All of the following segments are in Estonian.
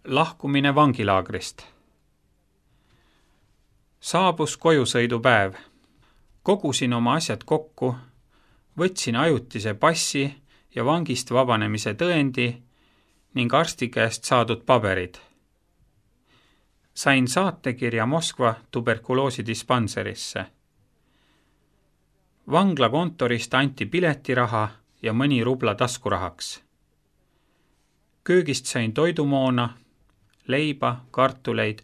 Lahkumine vangilaagrist. Saabus kojusõidupäev. Kogusin oma asjad kokku, võtsin ajutise passi ja vangist vabanemise tõendi ning arsti käest saadud paberid. Sain saatekirja Moskva tuberkuloosidispantserisse. Vangla kontorist anti piletiraha ja mõni rubla taskurahaks. Köögist sain toidumoona, leiba, kartuleid,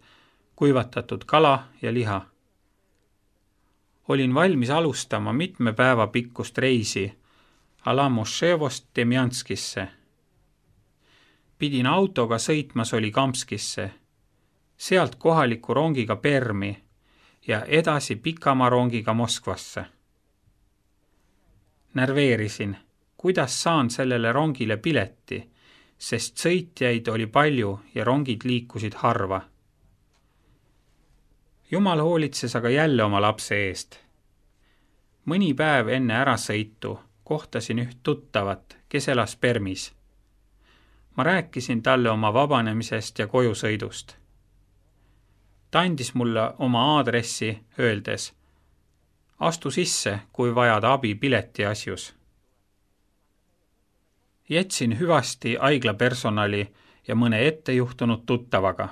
kuivatatud kala ja liha. Olin valmis alustama mitme päeva pikkust reisi Alamoševost Demjanskisse. Pidin autoga sõitma Solikamskisse, sealt kohaliku rongiga Permi ja edasi pikamaa rongiga Moskvasse. Närveerisin, kuidas saan sellele rongile pileti, sest sõitjaid oli palju ja rongid liikusid harva. Jumal hoolitses aga jälle oma lapse eest. Mõni päev enne ärasõitu kohtasin üht tuttavat, kes elas Permis. Ma rääkisin talle oma vabanemisest ja kojusõidust. Ta andis mulle oma aadressi, öeldes: astu sisse, kui vajad abi pileti asjus. Jätsin hüvasti haigla personali ja mõne ettejuhtunud tuttavaga.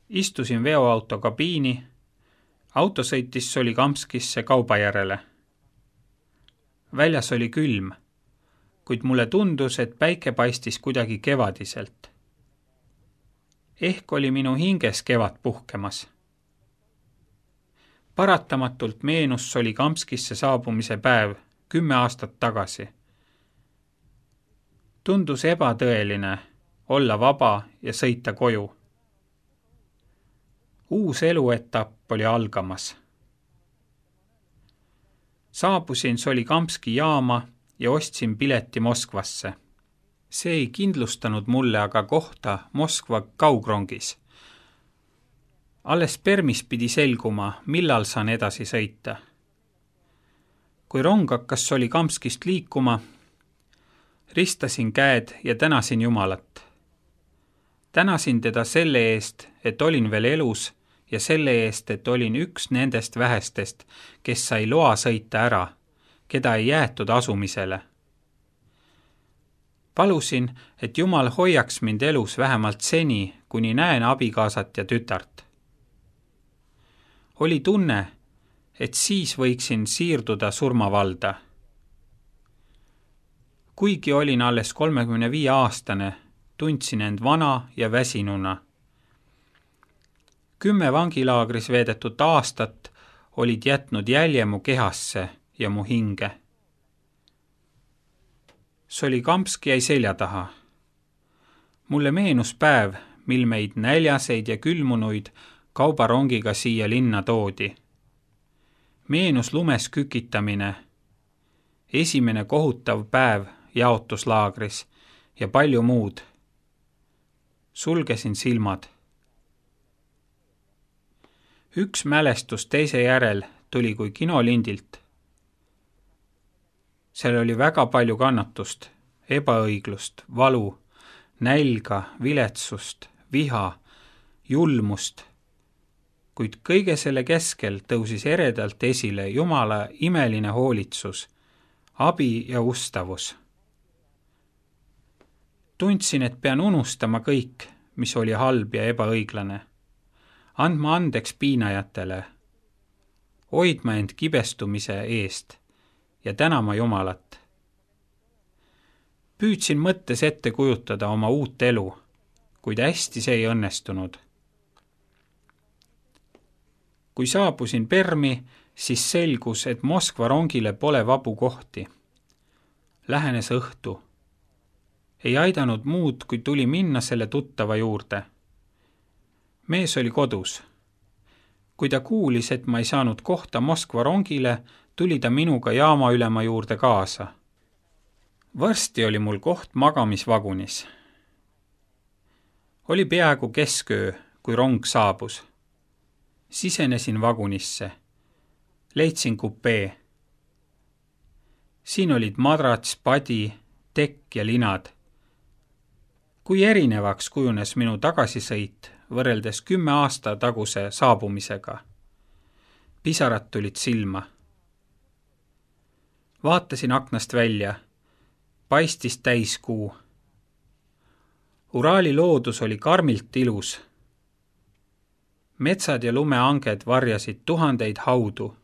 Istusin veoauto kabiini, auto sõitis Solikamskisse kauba järele. Väljas oli külm, kuid mulle tundus, et päike paistis kuidagi kevadiselt. Ehk oli minu hinges kevad puhkemas. Paratamatult meenus Solikamskisse saabumise päev 10 aastat tagasi. Tundus ebatõeline olla vaba ja sõita koju. Uus eluetapp oli algamas. Saabusin Solikamski jaama ja ostsin pileti Moskvasse. See ei kindlustanud mulle aga kohta Moskva kaugrongis. Alles Permis pidi selguma, millal saan edasi sõita. Kui rong hakkas Solikamskist liikuma, ristasin käed ja tänasin Jumalat. Tänasin teda selle eest, et olin veel elus ja selle eest, et olin üks nendest vähestest, kes sai loa sõita ära, keda ei jäetud asumisele. Palusin, et Jumal hoiaks mind elus vähemalt seni, kuni näen abikaasat ja tütart. Oli tunne, et siis võiksin siirduda surmavalda. Kuigi olin alles 35-aastane, tundsin end vana ja väsinuna. 10 vangilaagris veedetud aastat olid jätnud jälje mu kehasse ja mu hinge. Solikamski jäi selja taha. Mulle meenus päev, mil meid näljaseid ja külmunuid kaubarongiga siia linna toodi. Meenus lumes kükitamine, esimene kohutav päev jaotuslaagris ja palju muud. Sulgesin silmad. Üks mälestus teise järel tuli kui kinolindilt. Seal oli väga palju kannatust, ebaõiglust, valu, nälga, viletsust, viha, julmust. Kuid kõige selle keskel tõusis eredalt esile Jumala imeline hoolitsus, abi ja ustavus. Tundsin, et pean unustama kõik, mis oli halb ja ebaõiglane. Andma andeks piinajatele, hoidma end kibestumise eest ja tänama Jumalat. Püüdsin mõttes ette kujutada oma uut elu, kuid hästi see ei õnnestunud. Kui saabusin Permi, siis selgus, et Moskva rongile pole vabu kohti. Lähenes õhtu. Ei aidanud muud, kui tuli minna selle tuttava juurde. Mees oli kodus. Kui ta kuulis, et ma ei saanud kohta Moskva rongile, tuli ta minuga jaama ülema juurde kaasa. Varsti oli mul koht magamisvagunis. Oli peaaegu kesköö, kui rong saabus. Sisenesin vagunisse. Leidsin kupee. Siin olid madrats, padi, tekk ja linad. Kui erinevaks kujunes minu tagasisõit võrreldes 10 aasta taguse saabumisega. Pisarad tulid silma. Vaatasin aknast välja. Paistis täiskuu. Uraali loodus oli karmilt ilus. Metsad ja lumeanged varjasid tuhandeid haudu.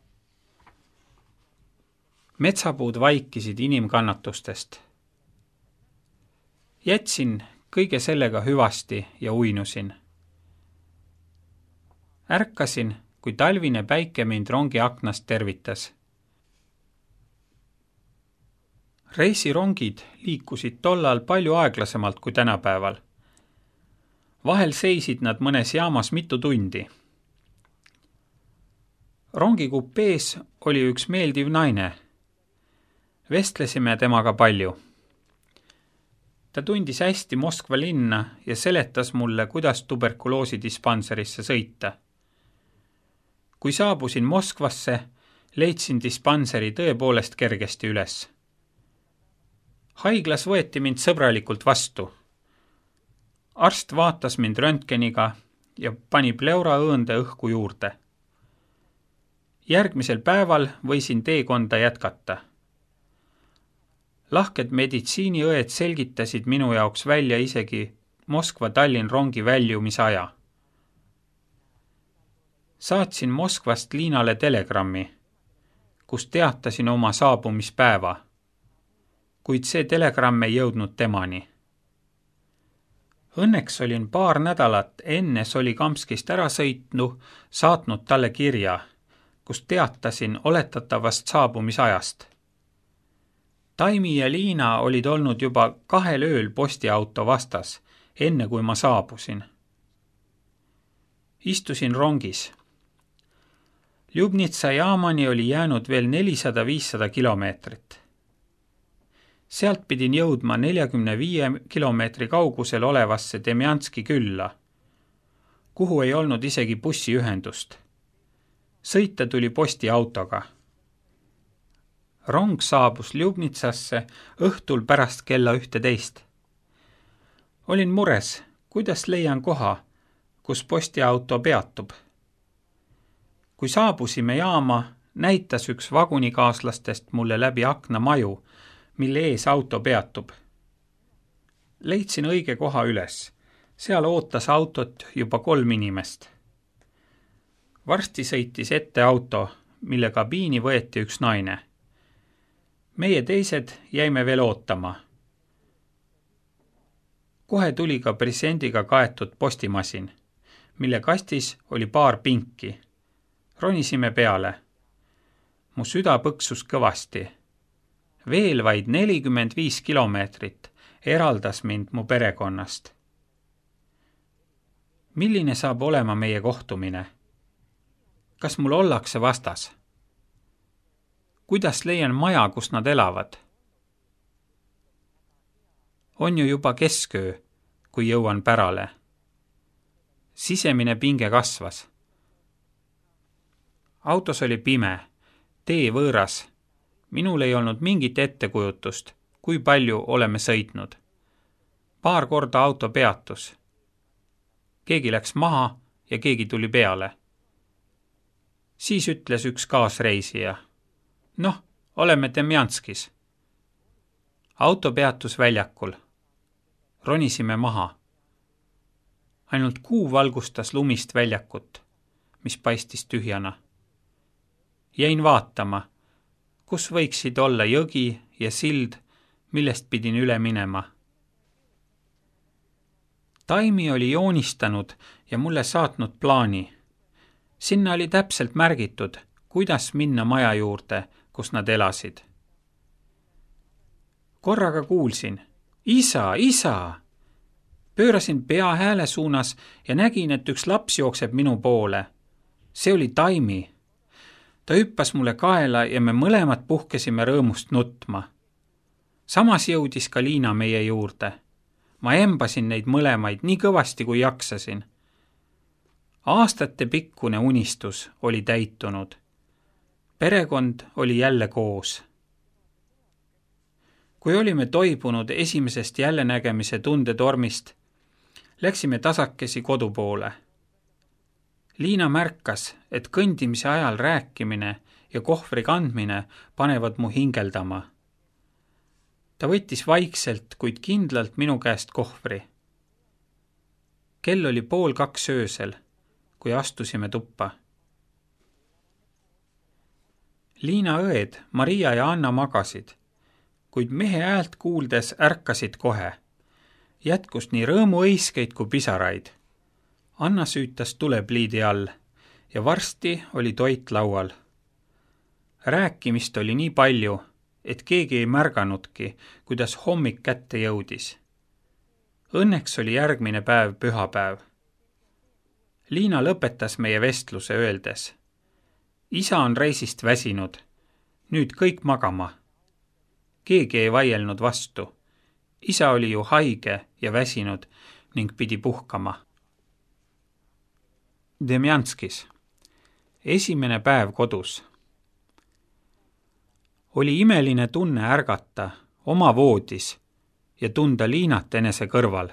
Metsapuud vaikisid inimkannatustest. Jätsin kõige sellega hüvasti ja uinusin. Ärkasin, kui talvine päike mind rongi aknast tervitas. Reisirongid liikusid tollal palju aeglasemalt kui tänapäeval. Vahel seisid nad mõnes jaamas mitu tundi. Rongi kupees oli üks meeldiv naine. Vestlesime temaga palju. Ta tundis hästi Moskva linna ja seletas mulle, kuidas tuberkuloosidispantserisse sõita. Kui saabusin Moskvasse, leidsin dispanseri tõepoolest kergesti üles. Haiglas võeti mind sõbralikult vastu. Arst vaatas mind röntgeniga ja pani pleuraõõnde õhku juurde. Järgmisel päeval võisin teekonda jätkata. Lahked meditsiiniõed selgitasid minu jaoks välja isegi Moskva-Tallinn rongi väljumisaja. Saatsin Moskvast Liinale telegrammi, kus teatasin oma saabumispäeva, kuid see telegramm ei jõudnud temani. Õnneks olin paar nädalat enne Solikamskist ära sõitnu saatnud talle kirja, kus teatasin oletatavast saabumisajast. Taimi ja Liina olid olnud juba 2 ööl postiauto vastas, enne kui ma saabusin. Istusin rongis. Ljubnitsa jaamani oli jäänud veel 400-500 kilomeetrit. Sealt pidin jõudma 45 kilomeetri kaugusel olevasse Demjanski külla, kuhu ei olnud isegi bussiühendust. Sõita tuli postiautoga. Rong saabus Ljubnitsasse õhtul pärast kella 11. Olin mures, kuidas leian koha, kus postiauto peatub. Kui saabusime jaama, näitas üks vagunikaaslastest mulle läbi akna maju, mille ees auto peatub. Leidsin õige koha üles. Seal ootas autot juba 3 inimest. Varsti sõitis ette auto, mille kabiini võeti üks naine. Meie teised jäime veel ootama. Kohe tuli ka presendiga kaetud postimasin, mille kastis oli paar pinki. Ronisime peale. Mu süda põksus kõvasti. Veel vaid 45 kilomeetrit eraldas mind mu perekonnast. Milline saab olema meie kohtumine? Kas mul ollakse vastas? Kuidas leian maja, kus nad elavad? On ju juba kesköö, kui jõuan pärale. Sisemine pinge kasvas. Autos oli pime, tee võõras. Minul ei olnud mingit ettekujutust, kui palju oleme sõitnud. Paar korda auto peatus. Keegi läks maha ja keegi tuli peale. Siis ütles üks kaasreisija. Noh, oleme Demjanskis. Auto peatus väljakul. Ronisime maha. Ainult kuu valgustas lumist väljakut, mis paistis tühjana. Jäin vaatama, kus võiksid olla jõgi ja sild, millest pidin üle minema. Taimi oli joonistanud ja mulle saatnud plaani. Sinna oli täpselt märgitud, kuidas minna maja juurde, kus nad elasid. Korraga kuulsin, isa, isa! Pöörasin pea hääle suunas ja nägin, et üks laps jookseb minu poole. See oli Taimi. Ta hüppas mulle kaela ja me mõlemad puhkesime rõõmust nutma. Samas jõudis ka Liina meie juurde. Ma embasin neid mõlemaid nii kõvasti, kui jaksasin. Aastate pikkune unistus oli täitunud. Perekond oli jälle koos. Kui olime toibunud esimesest jällenägemise tundetormist, läksime tasakesi kodu poole. Liina märkas, et kõndimise ajal rääkimine ja kohvri kandmine panevad mu hingeldama. Ta võttis vaikselt, kuid kindlalt minu käest kohvri. Kell oli 1:30 öösel, kui astusime tuppa. Liina õed, Maria ja Anna magasid, kuid mehe häält kuuldes ärkasid kohe. Jätkus nii rõõmuõiskeid kui pisaraid. Anna süütas tulepliidi all ja varsti oli toit laual. Rääkimist oli nii palju, et keegi ei märganudki, kuidas hommik kätte jõudis. Õnneks oli järgmine päev pühapäev. Liina lõpetas meie vestluse öeldes: isa on reisist väsinud, nüüd kõik magama. Keegi ei vaielnud vastu. Isa oli ju haige ja väsinud ning pidi puhkama. Demjanskis. Esimene päev kodus. Oli imeline tunne ärgata oma voodis ja tunda Liinat enese kõrval.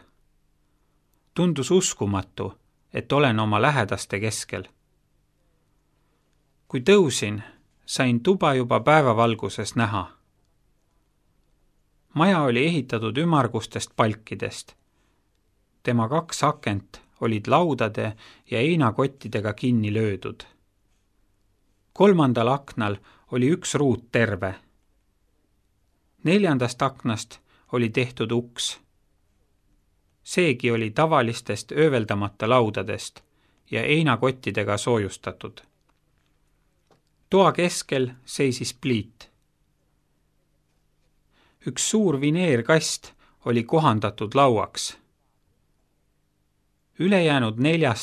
Tundus uskumatu, et olen oma lähedaste keskel. Kui tõusin, sain tuba juba päevavalguses näha. Maja oli ehitatud ümmargustest palkidest. Tema 2 akent olid laudade ja heinakottidega kinni löödud. 3. aknal oli 1 ruut terve. 4. aknast oli tehtud uks. Seegi oli tavalistest ööveldamata laudadest ja heinakottidega soojustatud. Toa keskel seisis pliit. 1 suur vineerkast oli kohandatud lauaks. Ülejäänud 4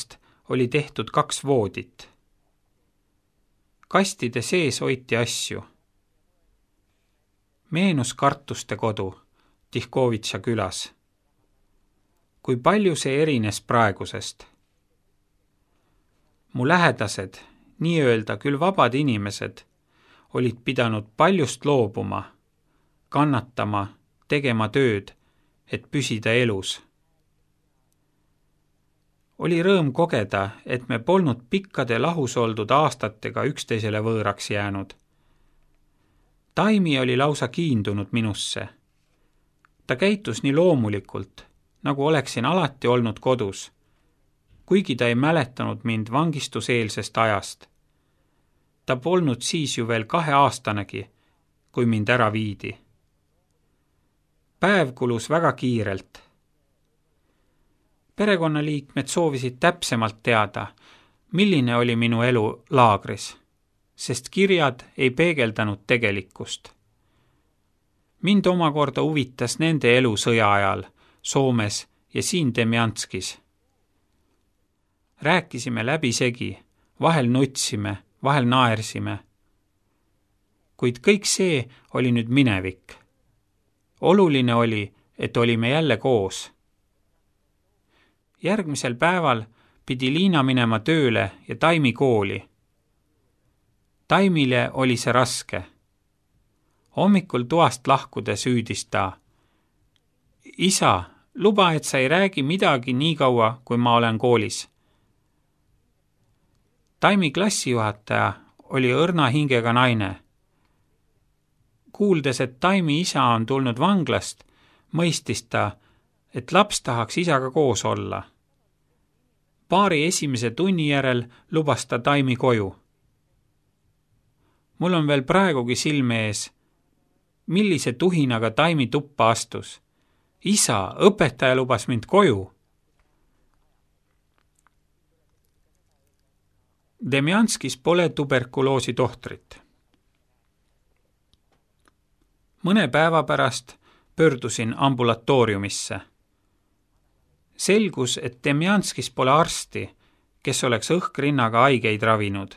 oli tehtud 2 voodit. Kastide sees hoiti asju. Meenus Kartuste kodu Tihkovitša külas. Kui palju see erines praegusest? Mu lähedased, nii-öelda küll vabad inimesed, olid pidanud paljust loobuma, kannatama, tegema tööd, et püsida elus. Oli rõõm kogeda, et me polnud pikkade lahus oldud aastatega üksteisele võõraks jäänud. Taimi oli lausa kiindunud minusse. Ta käitus nii loomulikult, nagu oleksin alati olnud kodus, kuigi ta ei mäletanud mind vangistuseelsest ajast. Ta polnud siis ju veel 2-aastanegi, kui mind ära viidi. Päev kulus väga kiirelt. Perekonnaliikmed soovisid täpsemalt teada, milline oli minu elu laagris, sest kirjad ei peegeldanud tegelikkust. Mind omakorda huvitas nende elu sõja ajal Soomes ja siin Demjanskis. Rääkisime läbisegi, vahel nutsime, vahel naersime. Kuid kõik see oli nüüd minevik. Oluline oli, et olime jälle koos. Järgmisel päeval pidi Liina minema tööle ja Taimi kooli. Taimile oli see raske. Hommikul toast lahkudes hüüdis ta: isa, luba, et sa ei räägi midagi nii kaua, kui ma olen koolis. Taimi klassijuhataja oli õrna hingega naine. Kuuldes, et Taimi isa on tulnud vanglast, mõistis ta, et laps tahaks isaga koos olla. Paari esimese tunni järel lubas ta Taimi koju. Mul on veel praegugi silme ees, millise tuhinaga Taimi tuppa astus. Isa, õpetaja lubas mind koju. Demjanskis pole tuberkuloosi tohtrit. Mõne päeva pärast pöördusin ambulatooriumisse. Selgus, et Demjanskis pole arsti, kes oleks õhkrinnaga haigeid ravinud.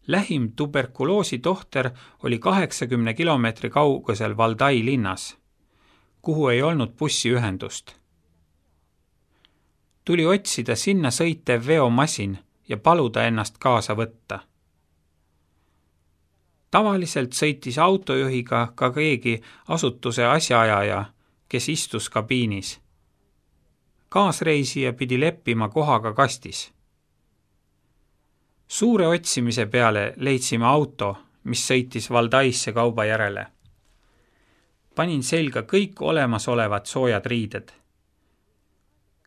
Lähim tuberkuloosi tohter oli 80 kilomeetri kaugusel Valdai linnas, kuhu ei olnud bussiühendust. Tuli otsida sinna sõitev veomasin ja paluda ennast kaasa võtta. Tavaliselt sõitis autojuhiga ka keegi asutuse asjaajaja, kes istus kabiinis. Kaasreisija pidi leppima kohaga kastis. Suure otsimise peale leidsime auto, mis sõitis Valdaisse kauba järele. Panin selga kõik olemasolevad soojad riided.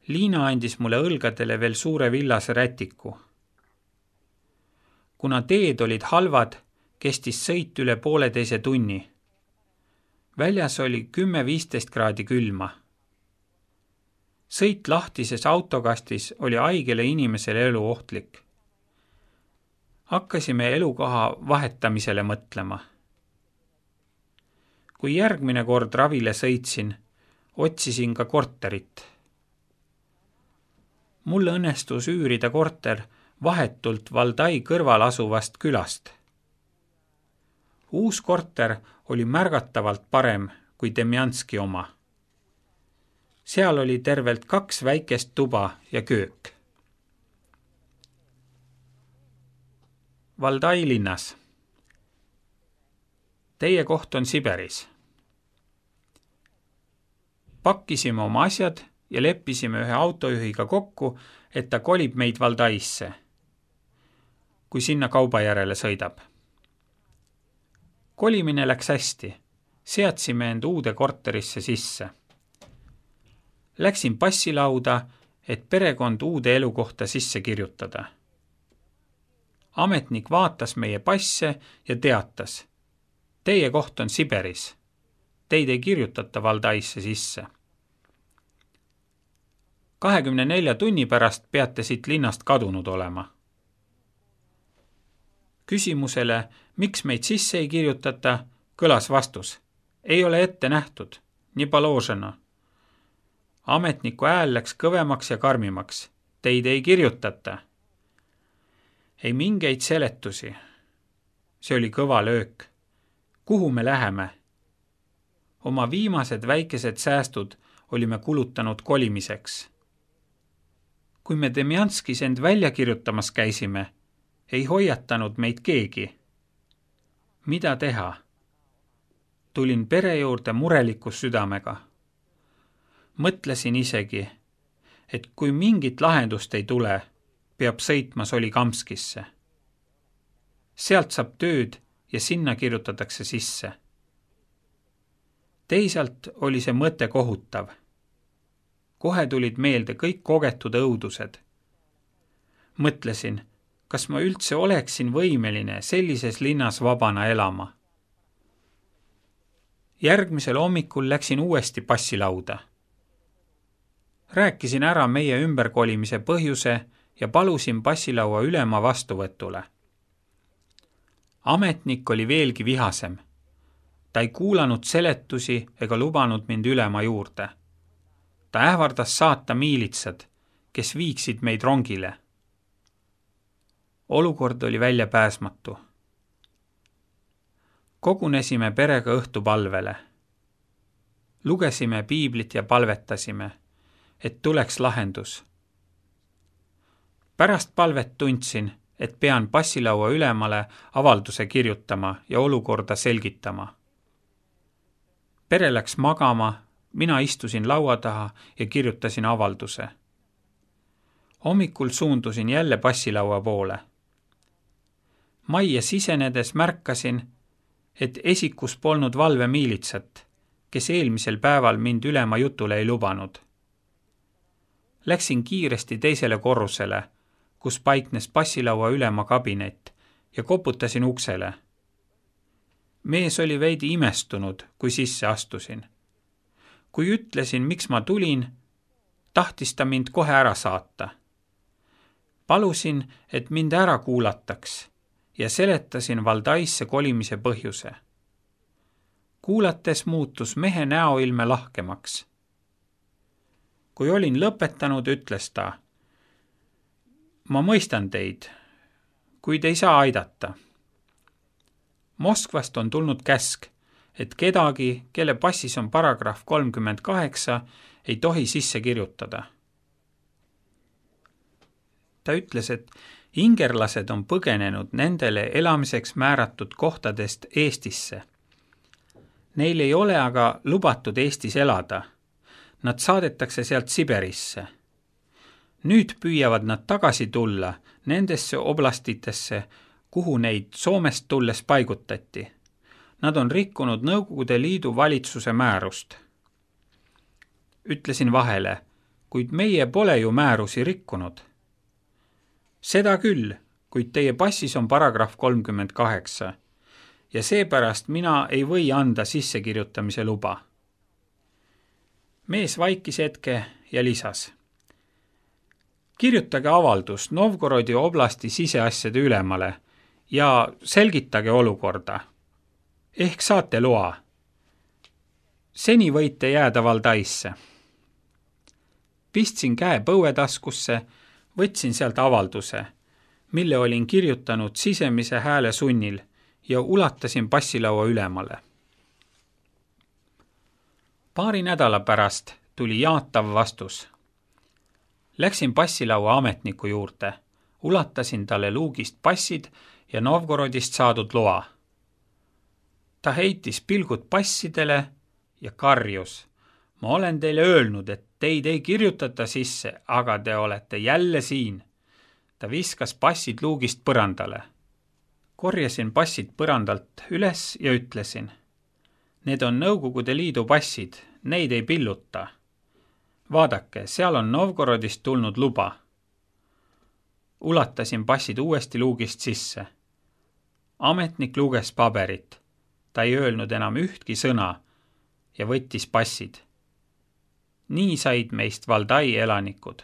Liina andis mulle õlgadele veel suure villase rätiku. Kuna teed olid halvad, kestis sõit üle 1,5 tunni. Väljas oli 10-15 kraadi külma. Sõit lahtises autokastis oli haigele inimesele eluohtlik. Hakkasime elukoha vahetamisele mõtlema. Kui järgmine kord ravile sõitsin, otsisin ka korterit. Mulle õnnestus üürida korter vahetult Valdai kõrval asuvast külast. Uus korter oli märgatavalt parem kui Demjanski oma. Seal oli tervelt 2 väikest tuba ja köök. Valdai linnas. Teie koht on Siberis. Pakkisime oma asjad ja leppisime ühe autojuhiga kokku, et ta kolib meid Valdaisse, kui sinna kauba järele sõidab. Kolimine läks hästi. Seadsime end uude korterisse sisse. Läksin passilauda, et perekond uude elukohta sisse kirjutada. Ametnik vaatas meie passe ja teatas. Teie koht on Siberis. Teid ei kirjutata Valdaisse sisse. 24 tunni pärast peate siit linnast kadunud olema. Küsimusele, miks meid sisse ei kirjutata, kõlas vastus. Ei ole ette nähtud, nii paložena. Ametniku hääl läks kõvemaks ja karmimaks. Teid ei kirjutata. Ei mingeid seletusi. See oli kõva löök. Kuhu me läheme? Oma viimased väikesed säästud olime kulutanud kolimiseks. Kui me Demjanskis end välja kirjutamas käisime, ei hoiatanud meid keegi. Mida teha? Tulin pere juurde mureliku südamega. Mõtlesin isegi, et kui mingit lahendust ei tule, peab sõitma Solikamskisse. Sealt saab tööd ja sinna kirjutatakse sisse. Teisalt oli see mõte kohutav. Kohe tulid meelde kõik kogetud õudused. Mõtlesin, kas ma üldse oleksin võimeline sellises linnas vabana elama. Järgmisel hommikul läksin uuesti passilauda. Rääkisin ära meie ümberkolimise põhjuse ja palusin passilaua ülema vastuvõtule. Ametnik oli veelgi vihasem. Ta ei kuulanud seletusi ega lubanud mind ülema juurde. Ta ähvardas saata miilitsad, kes viiksid meid rongile. Olukord oli väljapääsmatu. Kogunesime perega õhtupalvele. Lugesime piiblit ja palvetasime, et tuleks lahendus. Pärast palvet tundsin, et pean passilaua ülemale avalduse kirjutama ja olukorda selgitama. Pere läks magama, mina istusin laua taha ja kirjutasin avalduse. Hommikul suundusin jälle passilaua poole. Majja sisenedes märkasin, et esikus polnud valvemiilitsat, kes eelmisel päeval mind ülema jutule ei lubanud. Läksin kiiresti teisele korrusele, kus paiknes passilaua ülema kabinet ja koputasin uksele. Mees oli veidi imestunud, kui sisse astusin. Kui ütlesin, miks ma tulin, tahtis ta mind kohe ära saata. Palusin, et mind ära kuulataks ja seletasin Valdaisse kolimise põhjuse. Kuulates muutus mehe näoilme lahkemaks. Kui olin lõpetanud, ütles ta, ma mõistan teid, kuid ei saa aidata. Moskvast on tulnud käsk, et kedagi, kelle passis on paragrahv 38, ei tohi sisse kirjutada. Ta ütles, et Ingerlased on põgenenud nendele elamiseks määratud kohtadest Eestisse. Neil ei ole aga lubatud Eestis elada. Nad saadetakse sealt Siberisse. Nüüd püüavad nad tagasi tulla nendesse oblastitesse, kuhu neid Soomest tulles paigutati. Nad on rikkunud Nõukogude Liidu valitsuse määrust. Ütlesin vahele, kuid meie pole ju määrusi rikkunud. Seda küll, kuid teie passis on paragrahv 38 ja seepärast mina ei või anda sissekirjutamise luba. Mees vaikis hetke ja lisas. Kirjutage avaldus Novgorodi oblasti siseasjade ülemale ja selgitage olukorda. Ehk saate loa. Seni võite jääda Valdaisse. Pistsin käe põuetaskusse, võtsin sealt avalduse, mille olin kirjutanud sisemise hääle sunnil ja ulatasin passilaua ülemale. Paari nädala pärast tuli jaatav vastus. Läksin passilaua ametniku juurde, ulatasin talle luugist passid ja Novgorodist saadud loa. Ta heitis pilgud passidele ja karjus. Ma olen teile öelnud, et teid ei kirjutata sisse, aga te olete jälle siin. Ta viskas passid luugist põrandale. Korjasin passid põrandalt üles ja ütlesin. Need on Nõukogude Liidu passid, neid ei pilluta. Vaadake, seal on Novgorodist tulnud luba. Ulatasin passid uuesti luugist sisse. Ametnik luges paberit. Ta ei öelnud enam ühtki sõna ja võttis passid. Nii said meist Valdai elanikud.